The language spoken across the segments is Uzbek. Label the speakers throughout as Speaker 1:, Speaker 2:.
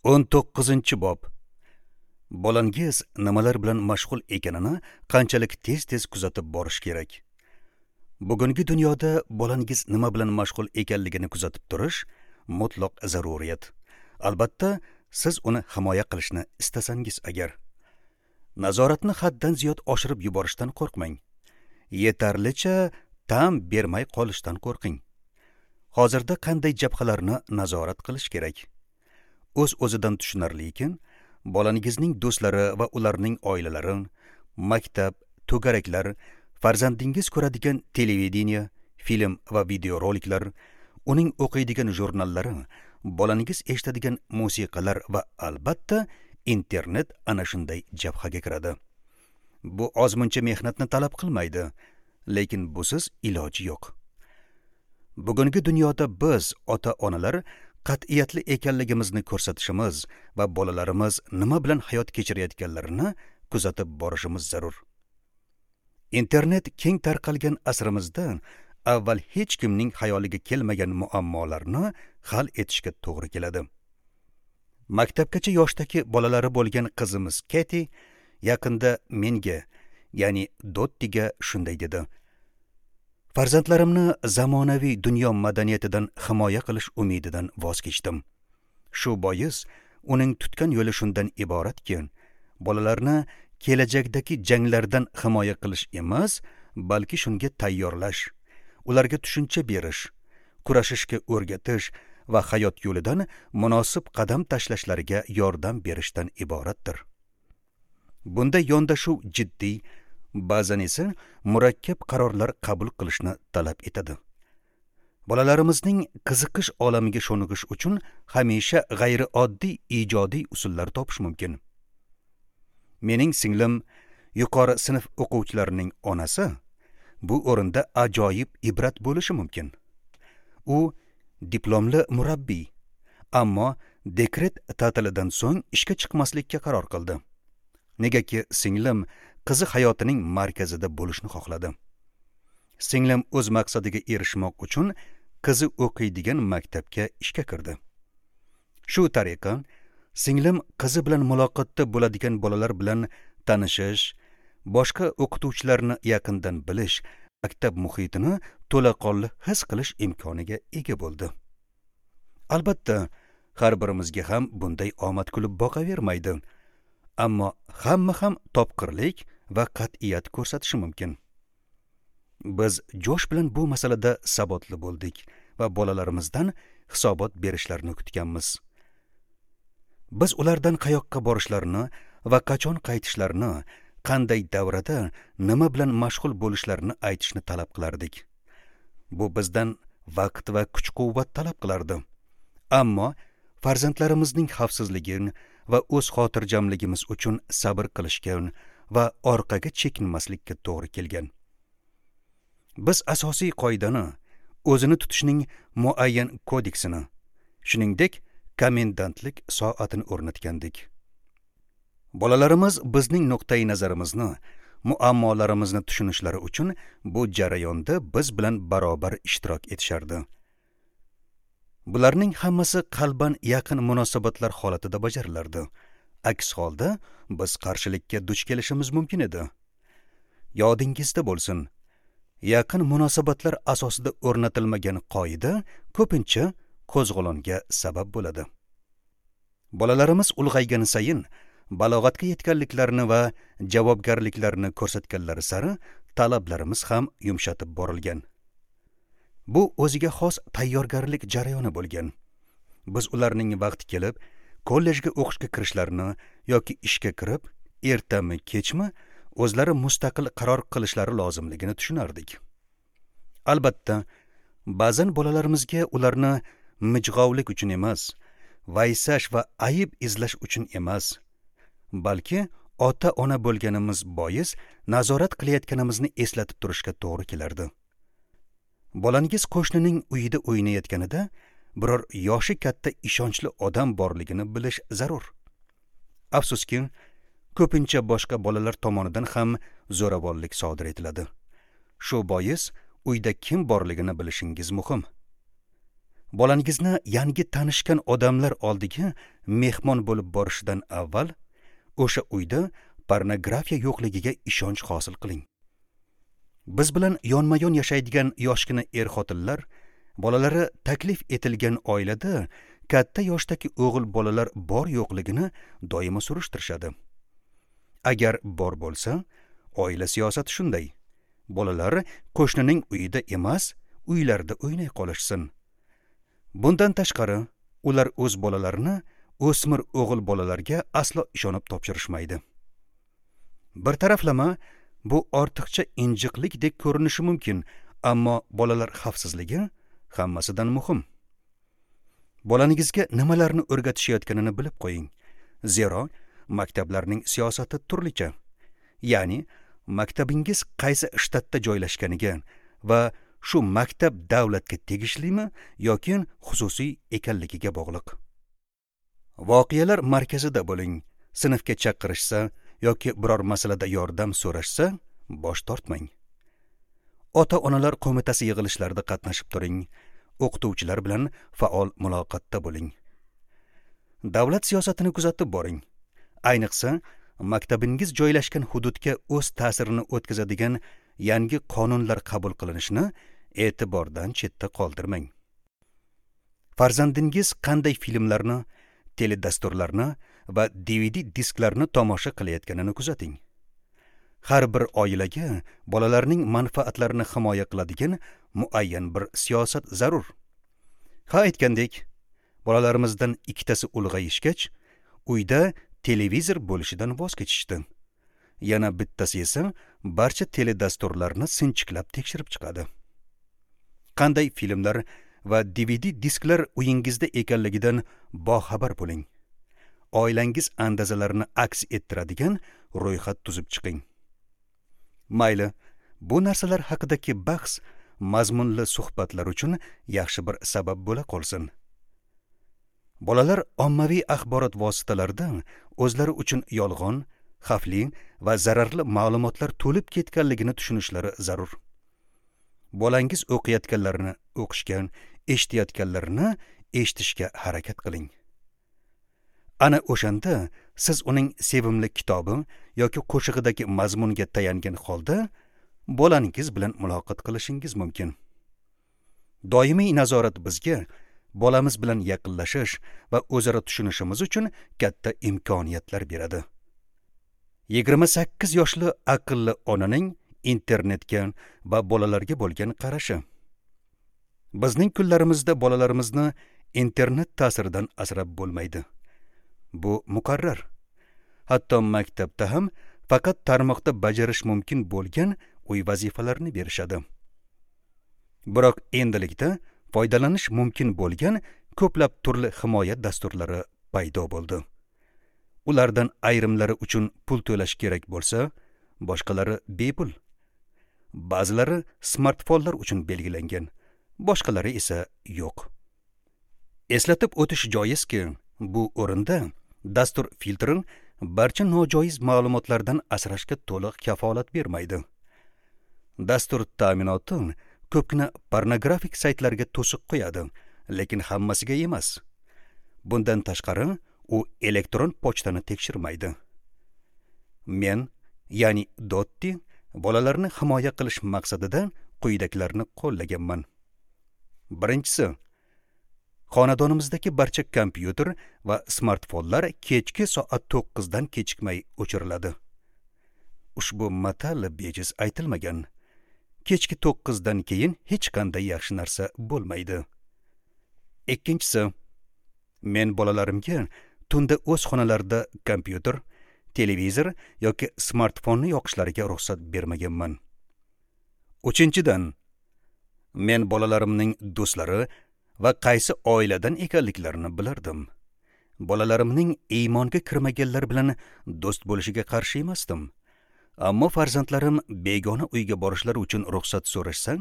Speaker 1: 19-bob. Bolangiz nimalar bilan mashg'ul ekanini qanchalik tez-tez kuzatib borish kerak. Bugungi dunyoda bolangiz nima bilan mashg'ul ekanligini kuzatib turish mutlaq zaruriyat. Albatta, siz uni himoya qilishni istasangiz agar. Nazoratni haddan ziyod oshirib yuborishdan qo'rqmang. Yetarlicha tam bermay qolishdan qo'rqing. Hozirda qanday jabhalarni nazorat qilish kerak? O'z-o'zidan tushunarliki, bolangizning do'stlari va ularning oilalari, maktab, to'garaklar, farzandingiz ko'radigan televideniye, film va videoroliklar, uning o'qiydigan jurnallari, bolangiz eshitadigan musiqalar va albatta internet ana shunday jabhaga kiradi. Bu ozmuncha mehnatni talab qilmaydi, lekin busiz iloji yo'q. Bugungi dunyoda biz ota-onalar qat'iyatli ekanligimizni ko'rsatishimiz va bolalarimiz nima bilan hayot kechirayotganlarini kuzatib borishimiz zarur. Internet keng tarqalgan asrimizda avval hech kimning xayoliga kelmagan muammolarni hal etishga to'g'ri keladi. Maktabgacha yoshdagi bolalari bo'lgan qizimiz Keti yaqinda menga, ya'ni Dottiga shunday dedi: "Farzandlarimni zamonaviy dunyo madaniyatidan himoya qilish umididan voz kechdim. Shu bois uning tutgan yo'li shundan iboratki, bolalarni kelajakdagi janglardan himoya qilish emas, balki shunga tayyorlash, ularga tushuncha berish, kurashishga o'rgatish va hayot yo'lidan munosib qadam tashlashlariga yordam berishdan iboratdir." Bunda yondashuv jiddiy, ba'zan esa murakkab qarorlar qabul qilishni talab etadi. Bolalarimizning qiziqish olamiga sho'ng'ish uchun hamisha g'ayrioddiy ijodiy usullar topish mumkin. Mening singlim, yuqori sinf o'quvchilarining onasi, bu o'rinda ajoyib ibrat bo'lishi mumkin. U diplomli murabbiy, ammo dekret ta'tilidan so'ng ishga chiqmaslikka qaror qildi. Negaki singlim qizi hayotining markazida bo'lishni xohladi. Singlim o'z maqsadiga erishmoq uchun qizi o'qiydigan maktabga ishga kirdi. Shu tariqa singlim qizi bilan muloqotda bo'ladigan bolalar bilan tanishish, boshqa o'qituvchilarni yaqindan bilish, maktab muhitini to'laqonli his qilish imkoniga ega bo'ldi. Albatta, har birimizga ham bunday omad kulib boqavermaydi. Ammo hamma ham topqirlik va qat'iyat ko'rsatishi mumkin. Biz Josh bilan bu masalada sabotli bo'ldik va bolalarimizdan hisobot berishlarini kutganmiz. Biz ulardan qayoqqa borishlarini va qachon qaytishlarini, qanday davrada nima bilan mashg'ul bo'lishlarini aytishni talab qilardik. Bu bizdan vaqt va kuch-quvvat talab qilardi. Ammo farzandlarimizning xavfsizligini va o'z xotirjamligimiz uchun sabr qilishga va orqaga chekinmaslikka to'g'ri kelgan. Biz asosiy qoidani, o'zini tutishning muayyan kodeksini, shuningdek, komendantlik soatini o'rnatgandik. Bolalarimiz bizning nuqtai nazarimizni, muammolarimizni tushunishlari uchun bu jarayonda biz bilan barobar ishtirok etishardi. Bularning hammasi qalban yaqin munosabatlar holatida bajarilardi. Aks holda biz qarshilikka duch kelishimiz mumkin edi. Yodingizda bo'lsin, yaqin munosabatlar asosida o'rnatilmagan qoida ko'pincha qo'zg'olonga sabab bo'ladi. Bolalarimiz ulg'aygani sayin balog'atga yetganliklarini va javobgarliklarini ko'rsatganlari sari talablarimiz ham yumshatib borilgan. Bu o'ziga xos tayyorgarlik jarayoni bo'lgan. Biz ularning vaqti kelib kollejga o'qishga kirishlarini yoki ishga kirib, ertami, kechmi o'zlari mustaqil qaror qilishlari lozimligini tushunardik. Albatta, ba'zan bolalarimizga ularni mijg'ovlik uchun emas, vaysash va ayib izlash uchun emas, balki ota-ona bo'lganimiz bois nazorat qilayotganimizni eslatib turishga to'g'ri kelardi. Bolangiz qo'shnining uyida o'ynayotganida biror yoshi katta ishonchli odam borligini bilish zarur. Afsuski, ko'pincha boshqa bolalar tomonidan ham zo'ravonlik sodir etiladi. Shu bois uyda kim borligini bilishingiz muhim. Bolangizni yangi tanishgan odamlar oldiga mehmon bo'lib borishidan avval o'sha uyda pornografiya yo'qligiga ishonch hosil qiling. Biz bilan yonma-yon yashaydigan yoshgina er-xotinlar bolalari taklif etilgan oilada katta yoshdagi o'g'il bolalar bor yo'qligini doimo surishtirishadi. Agar bor bo'lsa, oila siyosati shunday. Bolalar qo'shnining uyida emas, uylarida o'ynay qolishsin. Bundan tashqari, ular o'z bolalarini o'smir o'g'il bolalarga aslo ishonib topshirishmaydi. Bir taraflama bu ortiqcha injiqlikdek ko'rinishi mumkin, ammo bolalar xavfsizligi hammasidan muhim. Bolangizga nimalarni o'rgatishayotganini bilib qo'ying. Zero maktablarning siyosati turlicha. Ya'ni maktabingiz qaysi shtatda joylashganiga va shu maktab davlatga tegishlimi yoki xususiy ekanligiga bog'liq. Voqealar markazida bo'ling. Sinfga chaqirishsa yoki biror masalada yordam so'rashsa, bosh tortmang. Ota-onalar qo'mitasi yig'ilishlarida qatnashib turing. O'qituvchilar bilan faol muloqotda bo'ling. Davlat siyosatini kuzatib boring. Ayniqsa, maktabingiz joylashgan hududga o'z ta'sirini o'tkazadigan yangi qonunlar qabul qilinishini e'tibordan chetda qoldirmang. Farzandingiz qanday filmlarni, teledasturlarni va DVD disklarni tomosha qilayotganini kuzating. Har bir oilaga bolalarning manfaatlarini himoya qiladigan muayyan bir siyosat zarur. Ha, aytgandek, bolalarimizdan ikkitasi ulg'ayishgach, uyda televizor bo'lishidan voz kechishdi. Yana bittasi esa barcha teledasturlarni sinchiklab tekshirib chiqadi. Qanday filmlar va DVD disklar uyingizda ekanligidan boxabar bo'ling. Oilangiz andazalarini aks ettiradigan ro'yxat tuzib chiqing. Mayli, bu narsalar haqidagi bahs mazmunli suhbatlar uchun yaxshi bir sabab bo'la qolsin. Bolalar ommaviy axborot vositalarida o'zlari uchun yolg'on, xavfli va zararli ma'lumotlar to'lib ketganligini tushunishlari zarur. Bolangiz o'qiyotganlarini o'qishga, eshitayotganlarini eshitishga harakat qiling. Ana o'shanda siz uning sevimli kitobi yoki qo'shig'idagi mazmunga tayangan holda bolangiz bilan muloqot qilishingiz mumkin. Doimiy nazorat bizga bolamiz bilan yaqinlashish va o'zaro tushunishimiz uchun katta imkoniyatlar beradi. 28 yoshli aqlli onaning internetga va bolalarga bo'lgan qarashi. Bizning kunlarimizda bolalarimizni internet ta'siridan asrab bo'lmaydi. Bu muqarrar. Hatto maktabda ham faqat tarmoqda bajarish mumkin bo'lgan uy vazifalarini berishadi. Biroq endilikda foydalanish mumkin bo'lgan ko'plab turli himoya dasturlari paydo bo'ldi. Ulardan ayrimlari uchun pul to'lash kerak bo'lsa, boshqalari bepul. Ba'zilari smartfonlar uchun belgilangan, boshqalari esa yo'q. Eslatib o'tish joizki, bu o'rinda dastur filtri barcha nojoiz ma'lumotlardan asrashga to'liq kafolat bermaydi. Dastur ta'minoti ko'pgina pornografik saytlarga to'siq qo'yadi, lekin hammasiga emas. Bundan tashqari, u elektron pochtani tekshirmaydi. Men, ya'ni Dotti, bolalarni himoya qilish maqsadida quyidagilarni qo'llaganman. Birinchisi, xonadonimizdagi barcha kompyuter va smartfonlar kechki soat 9 dan kechikmay o'chiriladi. Ushbu matal bejiz aytilmagan. Kechki 9 dan keyin hech qanday yaxshi narsa bo'lmaydi. Ikkinchisi, men bolalarimga tunda o'z xonalarida kompyuter, televizor yoki smartfonni yoqishlariga ruxsat bermaganman. Uchinchidan, men bolalarimning do'stlari va qaysi oiladan ekanliklarini bilardim. Bolalarimning iymonga kirmaganlar bilan do'st bo'lishiga qarshi emasdim. Ammo farzandlarim begona uyga borishlari uchun ruxsat so'rashsa,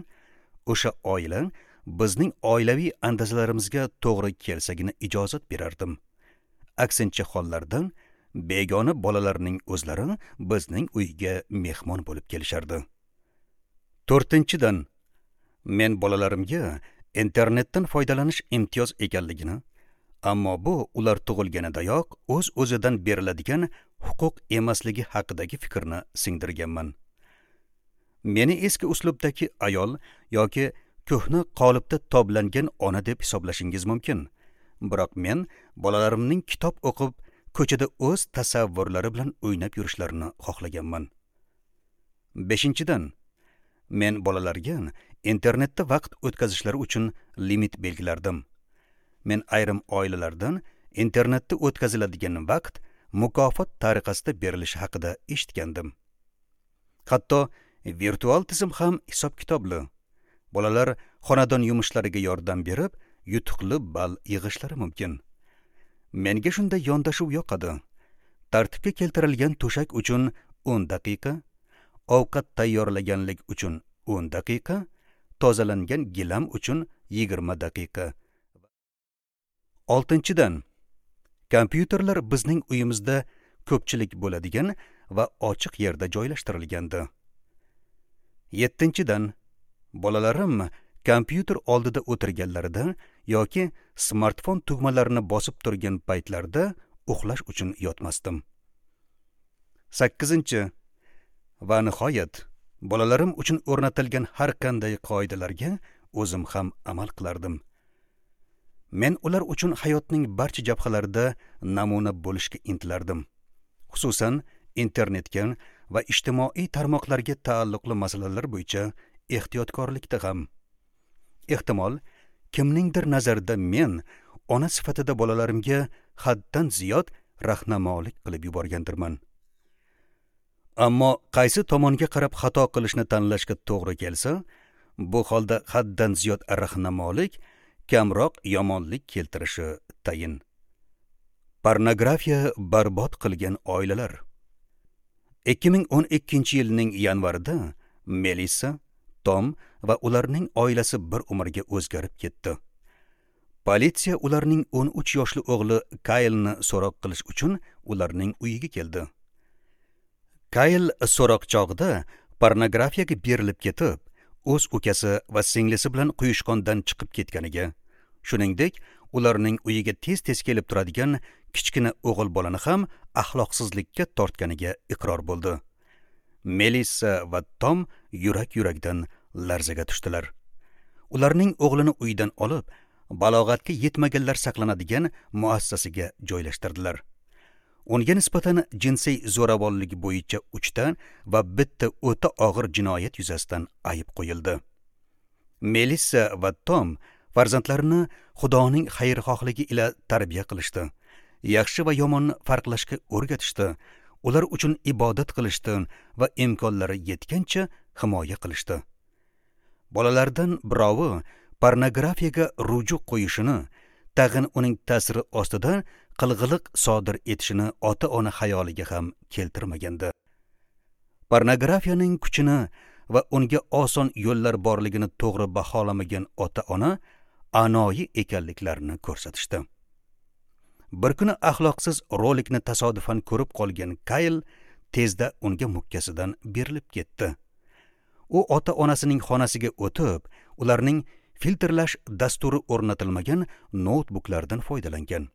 Speaker 1: o'sha oila bizning oilaviy andazalarimizga to'g'ri kelsagina ijozat berardim. Aksincha hollarda begona bolalarning o'zlari bizning uyga mehmon bo'lib kelishardi. To'rtinchidan, men bolalarimga Internetdan foydalanish imtiyoz ekanligini, ammo bu ular tug'ilganidayoq o'z-o'zidan beriladigan huquq emasligi haqidagi fikrni singdirganman. Meni eski uslubdagi ayol yoki ko'hna qolipda toblangan ona deb hisoblashingiz mumkin. Biroq men bolalarimning kitob o'qib, ko'chada o'z tasavvurlari bilan o'ynab yurishlarini xohlaganman. 5-dan, men bolalarga internetda vaqt o'tkazishlari uchun limit belgilardim. Men ayrim oilalardan internetda o'tkaziladigan vaqt mukofot tariqasida berilishi haqida eshitgandim. Hatto virtual tizim ham hisob-kitobli. Bolalar xonadon yumushlariga yordam berib, yutuqli ball yig'ishlari mumkin. Menga shunday yondashuv yoqadi. Tartibga keltirilgan to'shak uchun 10 daqiqa, ovqat tayyorlaganlik uchun 10 daqiqa, tozalangan gilam uchun 20 daqiqa. 6-dan, kompyuterlar bizning uyimizda ko'pchilik bo'ladigan va ochiq yerda joylashtirilgandi. 7-dan, bolalarim kompyuter oldida o'tirganlarida yoki smartfon tugmalarini bosib turgan paytlarida uxlash uchun yotmasdim. 8-chi va nihoyat, bolalarim uchun o'rnatilgan har qanday qoidalarga o'zim ham amal qilardim. Men ular uchun hayotning barcha jabhalarida namuna bo'lishga intilardim. Xususan, internetga va ijtimoiy tarmoqlarga taalluqli masalalar bo'yicha ehtiyotkorlikda ham. Ehtimol, kimningdir nazarida men ona sifatida bolalarimga haddan ziyod rahnamolik qilib yuborgandirman. Ammo qaysi tomonga qarab xato qilishni tanlashga to'g'ri kelsa, bu holda haddan ziyod rahnamolik kamroq yomonlik keltirishi tayin. Pornografiya barbod qilgan oilalar. 2012-yilning yanvarida Melissa, Tom va ularning oilasi bir umrga o'zgarib ketdi. Politsiya ularning 13 yoshli o'g'li Kaylni so'roq qilish uchun ularning uyiga keldi. Kayl so'roq chog'ida pornografiyaga berilib ketib, o'z ukasi va singlisi bilan quyushqondan chiqib ketganiga, shuningdek, ularning uyiga tez-tez kelib turadigan kichkina o'g'il bolani ham axloqsizlikka tortganiga iqror bo'ldi. Melissa va Tom yurak-yurakdan larzaga tushdilar. Ularning o'g'lini uydan olib, balog'atga yetmaganlar saqlanadigan muassasasiga joylashtirdilar. Unga nisbatan jinsiy zo'ravonlik bo'yicha 3 ta va bitta o'ta og'ir jinoyat yuzasidan ayb qo'yildi. Melissa va Tom farzandlarini Xudoning xayrixohligi ila tarbiya qilishdi. Yaxshi va yomonni farqlashga o'rgatishdi. Ular uchun ibodat qilishdi va imkonlari yetgancha himoya qilishdi. Bolalardan birovi pornografiyaga ruju qo'yishini, tag'in uning ta'siri ostida qilg'iliq sodir etishini ota-ona xayoliga ham keltirmagandi. Pornografiyaning kuchini va unga oson yo'llar borligini to'g'ri baholamagan ota-ona anoyi ekanliklarini ko'rsatishdi. Bir kuni axloqsiz rolikni tasodifan ko'rib qolgan Kayl tezda unga mukkasidan berilib ketdi. U ota-onasining xonasiga o'tib, ularning filtrlash dasturi o'rnatilmagan noutbuklardan foydalangan.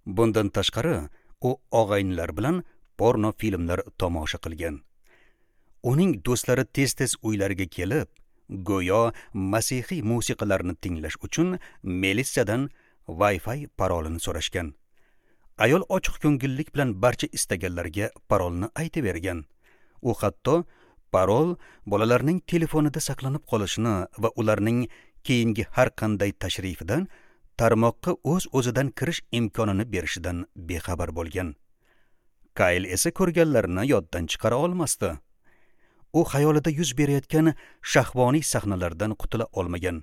Speaker 1: Bundan tashqari, u og'aynilar bilan porno filmlar tomosha qilgan. Uning do'stlari tez-tez uylariga kelib, go'yo masihiy musiqalarni tinglash uchun Melissadan Wi-Fi parolini so'rashgan. Ayol ochiq ko'ngillik bilan barcha istaganlarga parolni aytib bergan. U hatto parol bolalarning telefonida saqlanib qolishini va ularning keyingi har qanday tashrifidan tarmoqqa o'z-o'zidan kirish imkonini berishidan bexabar bo'lgan. Kayl esa ko'rganlarini yoddan chiqara olmasdi. U xayolida yuz berayotgan shahvoniy sahnalardan qutula olmagan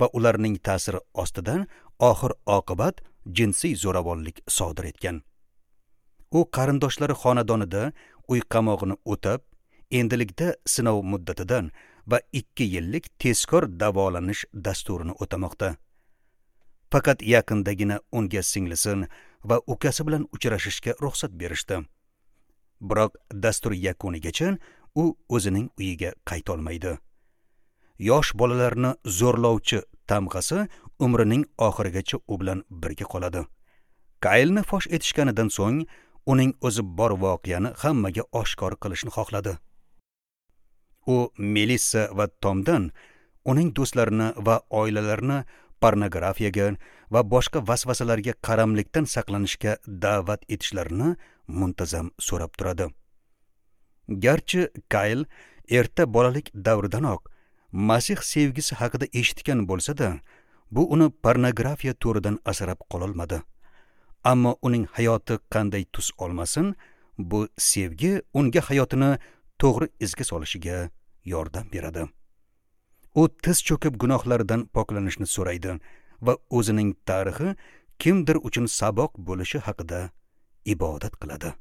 Speaker 1: va ularning ta'siri ostidan oxir oqibat jinsiy zo'ravonlik sodir etgan. U qarindoshlari xonadonida uy qamog'ini o'tab, endilikda sinov muddatidan va 2 yillik tezkor davolanish dasturini o'tamoqda. Faqat yaqindagina unga singlisi va ukasi bilan uchrashishga ruxsat berishdi. Biroq dastur yakunigacha u o'zining uyiga qayta olmaydi. Yosh bolalarni zo'rlovchi tamg'asi umrining oxirigacha u bilan birga qoladi. Kaylni fosh etishganidan so'ng uning o'zi bor voqeani hammaga oshkor qilishni xohladi. U Melissa va Tomdan uning do'stlarini va oilalarini pornografiyaga va boshqa vasvasalarga qaramlikdan saqlanishga da'vat etishlarini muntazam so'rab turadi. Garchi Kayl erta bolalik davridanoq Masih sevgisi haqida eshitgan bo'lsa-da, bu uni pornografiya to'ridan asrab qololmadi. Ammo uning hayoti qanday tus olmasin, bu sevgi unga hayotini to'g'ri izga solishiga yordam beradi. U tiz cho'kib gunohlaridan poklanishni so'raydi va o'zining tarixi kimdir uchun saboq bo'lishi haqida ibodat qiladi.